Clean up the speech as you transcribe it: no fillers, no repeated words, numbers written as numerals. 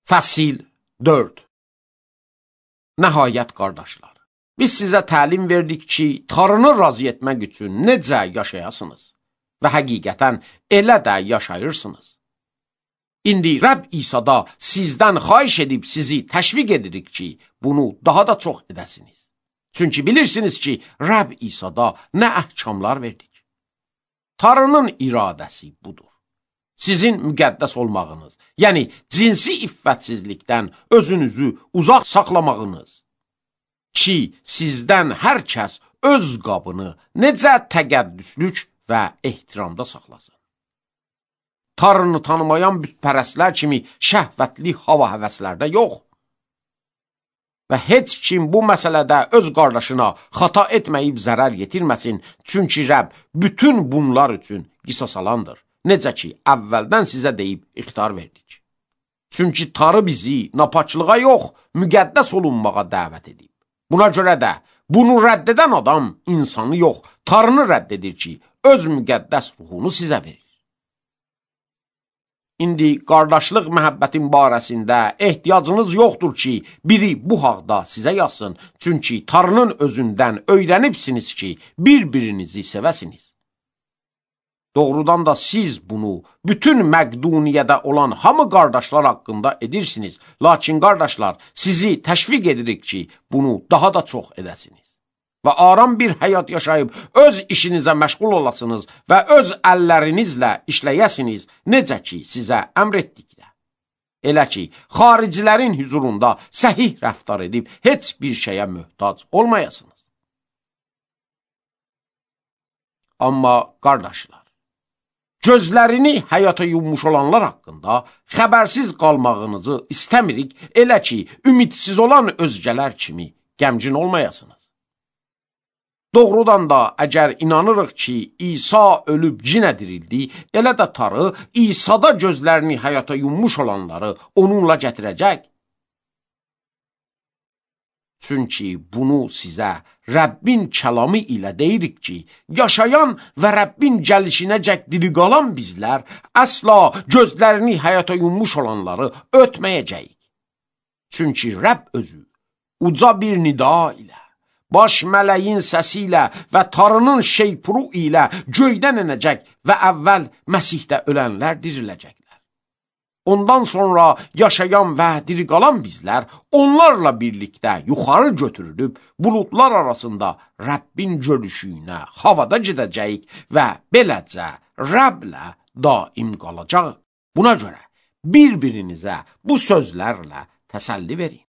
Fəsil 4. Nəhayət qardaşlar, biz sizə təlim verdik ki, Tanrını razı etmək üçün necə yaşayasınız və həqiqətən elə də yaşayırsınız. İndi Rəbb İsa'da sizdən xahiş edib sizi təşviq edirik ki, bunu daha da çox edəsiniz. Çünki bilirsiniz ki, Rəbb İsa'da nə əhkamlar verdik. Tanrının iradəsi budur. Sizin müqəddəs olmağınız, yəni cinsi iffətsizlikdən özünüzü uzaq saxlamağınız ki, sizdən hər kəs öz qabını necə təqəddüslük və ehtiramda saxlasın. Tanrını tanımayan bütpərəstlər kimi şəhvətli hava həvəslərdə yox. Və heç kim bu məsələdə öz qardaşına xata etməyib zərər yetirməsin, çünki Rəbb bütün bunlar üçün qisas alandır. Necə ki, əvvəldən sizə deyib ixtar verdik. Çünki Tanrı bizi napaçlığa yox, müqəddəs olunmağa dəvət edib. Buna görə də bunu rədd edən adam insanı yox, Tanrını rədd edir ki, öz müqəddəs ruhunu sizə verir. İndi qardaşlıq məhəbbətin barəsində ehtiyacınız yoxdur ki, biri bu haqda sizə yazsın, çünki Tanrının özündən öyrənibsiniz ki, bir-birinizi sevəsiniz. Doğrudan da siz bunu bütün Məqduniyyədə olan hamı qardaşlar haqqında edirsiniz. Lakin qardaşlar, sizi təşviq edirik ki, bunu daha da çox edəsiniz. Və aram bir həyat yaşayıb öz işinizə məşğul olasınız və öz əllərinizlə işləyəsiniz, necə ki, sizə əmr etdikdə. Elə ki, xaricilərin hüzurunda səhih rəftar edib heç bir şeyə möhtac olmayasınız. Amma qardaşlar, gözlərini həyata yummuş olanlar haqqında xəbərsiz qalmağınızı istəmirik, elə ki, ümidsiz olan özgələr kimi qəmgin olmayasınız. Doğrudan da əgər inanırıq ki, İsa ölüb cinə dirildi, elə də Tanrı İsa'da gözlərini həyata yummuş olanları onunla gətirəcək. Çünki bunu sizə Rəbbin kəlamı ilə deyirik ki, yaşayan və Rəbbin gəlişinəcək diri qalan bizlər əsla gözlərini həyata yummuş olanları ötməyəcəyik. Çünki Rəbb özü uca bir nida ilə, baş mələyin səsi ilə və Tanrının şeypuru ilə göydən enəcək və əvvəl Məsihdə ölənlər diriləcəklər. Ondan sonra yaşayan və diri qalan bizlər onlarla birlikdə yuxarı götürülüb buludlar arasında Rəbbin görüşünə havada gedəcəyik və beləcə Rəbblə daim qalacaq. Buna görə bir-birinizə bu sözlərlə təsəlli verin.